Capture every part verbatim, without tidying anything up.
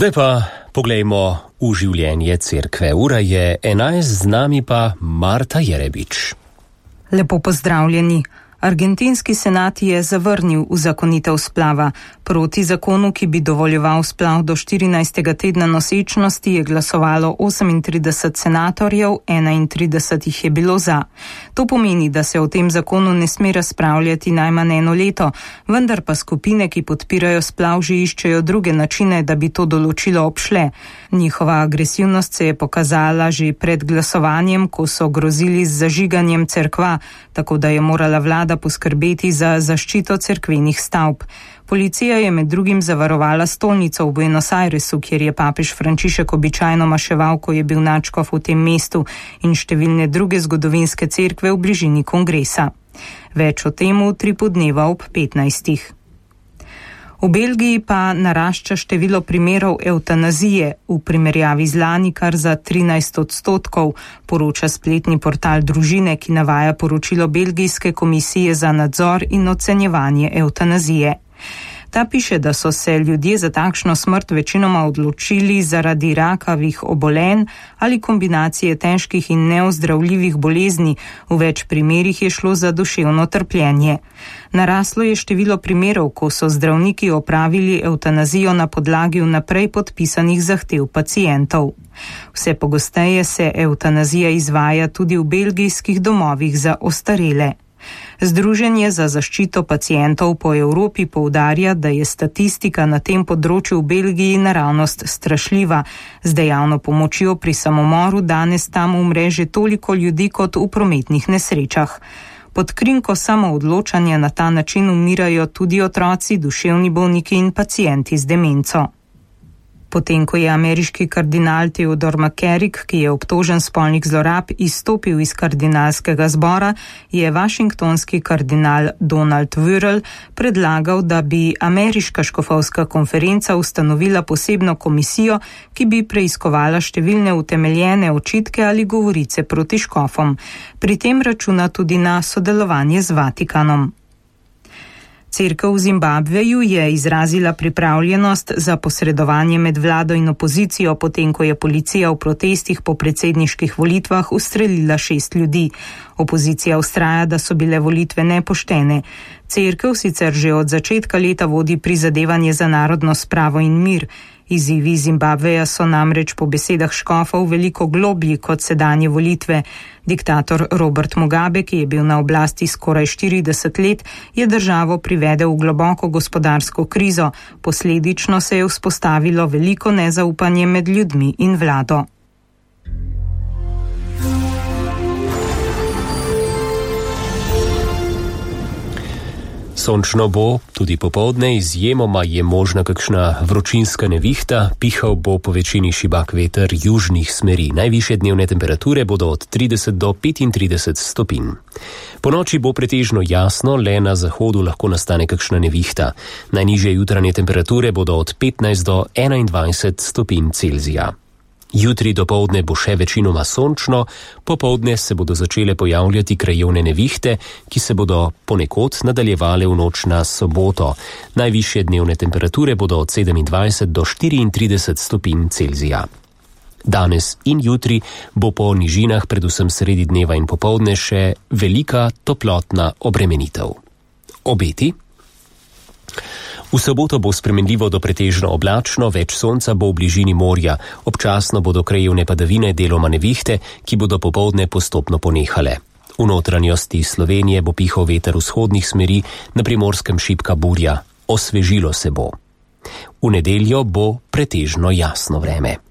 Zdaj pa poglejmo v življenje cerkve. Ura je enajst, z nami pa Marta Jerebič. Lepo pozdravljeni. Argentinski senat je zavrnil uzakonitev splava. Proti zakonu, ki bi dovoljeval splav do štirinajstega tedna nosečnosti, je glasovalo osemintrideset senatorjev, enaintrideset jih je bilo za. To pomeni, da se o tem zakonu ne sme razpravljati najmanj eno leto, vendar pa skupine, ki podpirajo splav, že iščejo druge načine, da bi to določilo obšle. Njihova agresivnost se je pokazala že pred glasovanjem, ko so grozili z zažiganjem cerkva, tako da je morala vlada poskrbeti za zaščito cerkvenih stavb. Policija je med drugim zavarovala stolnico v Buenos Airesu, kjer je papež Frančišek običajno maševal, ko je bil nadškof v tem mestu, in številne druge zgodovinske cerkve v bližini kongresa. Več o tem tri podneva ob petnajstih. V Belgiji pa narašča število primerov evtanazije, v primerjavi z lani kar za trinajst odstotkov, poroča spletni portal Družine, ki navaja poročilo Belgijske komisije za nadzor in ocenjevanje evtanazije. Ta piše, da so se ljudje za takšno smrt večinoma odločili zaradi rakavih obolenj ali kombinacije težkih in neozdravljivih bolezni, v več primerih je šlo za duševno trpljenje. Naraslo je število primerov, ko so zdravniki opravili evtanazijo na podlagi vnaprej podpisanih zahtev pacientov. Vse pogosteje se evtanazija izvaja tudi v belgijskih domovih za ostarele. Združenje za zaščito pacientov po Evropi poudarja, da je statistika na tem področju v Belgiji naravnost strašljiva. Z dejavno pomočjo pri samomoru danes tam umre že toliko ljudi kot v prometnih nesrečah. Pod krinko samoodločanja na ta način umirajo tudi otroci, duševni bolniki in pacienti z demenco. Potem, ko je ameriški kardinal Theodore McCarrick, ki je obtožen spolnih zlorab, izstopil iz kardinalskega zbora, je washingtonski kardinal Donald Wuerl predlagal, da bi ameriška škofovska konferenca ustanovila posebno komisijo, ki bi preiskovala številne utemeljene očitke ali govorice proti škofom. Pri tem računa tudi na sodelovanje z Vatikanom. Cerkev v Zimbabveju je izrazila pripravljenost za posredovanje med vlado in opozicijo, potem ko je policija v protestih po predsedniških volitvah ustrelila šest ljudi. Opozicija vztraja, da so bile volitve nepoštene. Cerkev sicer že od začetka leta vodi prizadevanje za narodno spravo in mir. Izzivi Zimbabveja so namreč po besedah škofov veliko globlji kot sedanje volitve. Diktator Robert Mugabe, ki je bil na oblasti skoraj štirideset let, je državo privedel v globoko gospodarsko krizo. Posledično se je vzpostavilo veliko nezaupanje med ljudmi in vlado. Sončno bo, tudi popoldne, izjemoma je možna kakšna vročinska nevihta, pihal bo po večini šibak veter južnih smeri. Najvišje dnevne temperature bodo od trideset do petintrideset stopinj. Po noči bo pretežno jasno, le na zahodu lahko nastane kakšna nevihta. Najnižje jutranje temperature bodo od petnajst do enaindvajset stopinj Celzija. Jutri dopoldne bo še večinoma sončno, popoldne se bodo začele pojavljati krajevne nevihte, ki se bodo ponekod nadaljevale v noč na soboto. Najvišje dnevne temperature bodo od sedemindvajset do štiriintrideset stopinj Celzija. Danes in jutri bo po nižinah, predvsem sredi dneva in popoldne, še velika toplotna obremenitev. Obeti? V soboto bo spremenljivo do pretežno oblačno, več sonca bo v bližini morja. Občasno bodo krajevne padavine, deloma nevihte, ki bodo popoldne postopno ponehale. V notranjosti Slovenije bo pihal veter vzhodnih smeri, na Primorskem šibka burja. Osvežilo se bo. V nedeljo bo pretežno jasno vreme.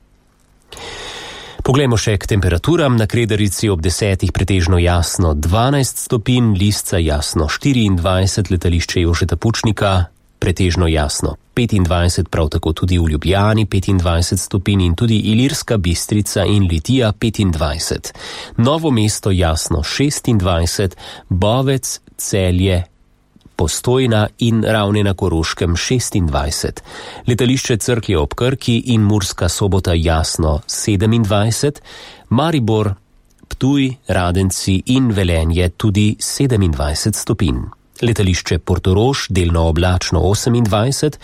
Poglejmo še k temperaturam. Na Kredarici ob desetih pretežno jasno dvanajst stopinj, Lisca jasno štiriindvajset, letališče Jožeta Pučnika pretežno jasno petindvajset, prav tako tudi v Ljubljani petindvajset stopinj in tudi Ilirska Bistrica in Litija petindvajset. Novo mesto jasno šestindvajset, Bovec, Celje, Postojna in Ravne na Koroškem šestindvajset. Letališče Cerklje ob Krki in Murska Sobota jasno sedemindvajset, Maribor, Ptuj, Radenci in Velenje tudi sedemindvajset stopinj. Letališče Portorož delno oblačno osemindvajset,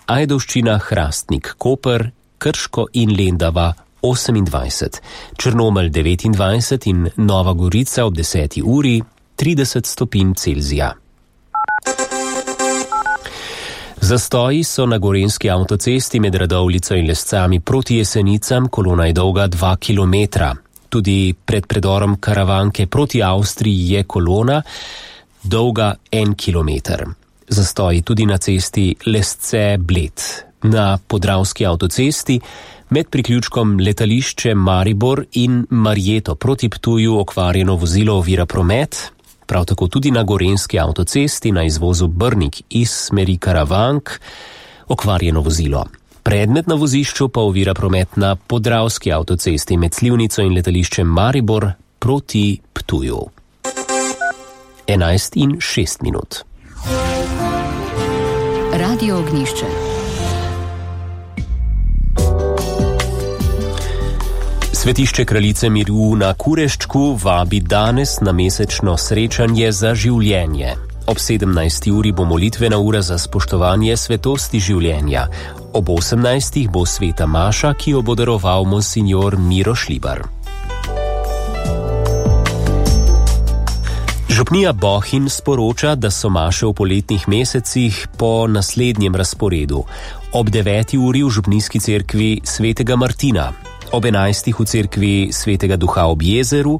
Ajdovščina, Hrastnik, Koper Krško in Lendava osemindvajset, Črnomelj devetindvajset in Nova Gorica ob deseti uri trideset stopinj Celzija. Zastoji so na gorenjski avtocesti med Radovljico in Lescami proti Jesenicam, kolona je dolga dva kilometra. Tudi pred predorom Karavanke proti Avstriji je kolona dolga en kilometer. Zastoji tudi na cesti Lesce-Bled. Na podravski avtocesti med priključkom letališče Maribor in Marjeto proti Ptuju okvarjeno vozilo ovira promet. Prav tako tudi na gorenjski avtocesti na izvozu Brnik iz smeri Karavank okvarjeno vozilo. Predmet na vozišču pa ovira promet na podravski avtocesti med Slivnico in letališčem Maribor proti Ptuju. enajst in šest minut. Radio Ognjišče. Svetišče Kraljice miru na Kureščku vabi danes na mesečno srečanje za življenje. Ob sedemnajsti uri bo molitvena ura za spoštovanje svetosti življenja. Ob osemnajstih bo sveta maša, ki jo bo daroval monsinjor Miro Šlibar. Župnija Bohinj sporoča, da so maše v poletnih mesecih po naslednjem razporedu. Ob deveti uri v župnijski cerkvi svetega Martina, ob enajstih v cerkvi svetega Duha ob jezeru,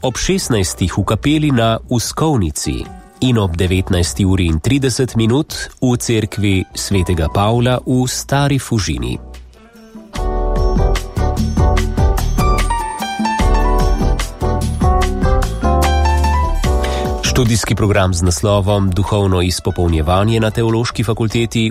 ob šestnajstih v kapeli na Uskovnici in ob devetnajsti uri in trideset minut v cerkvi svetega Pavla v Stari Fužini. Študijski program z naslovom Duhovno izpopolnjevanje na Teološki fakulteti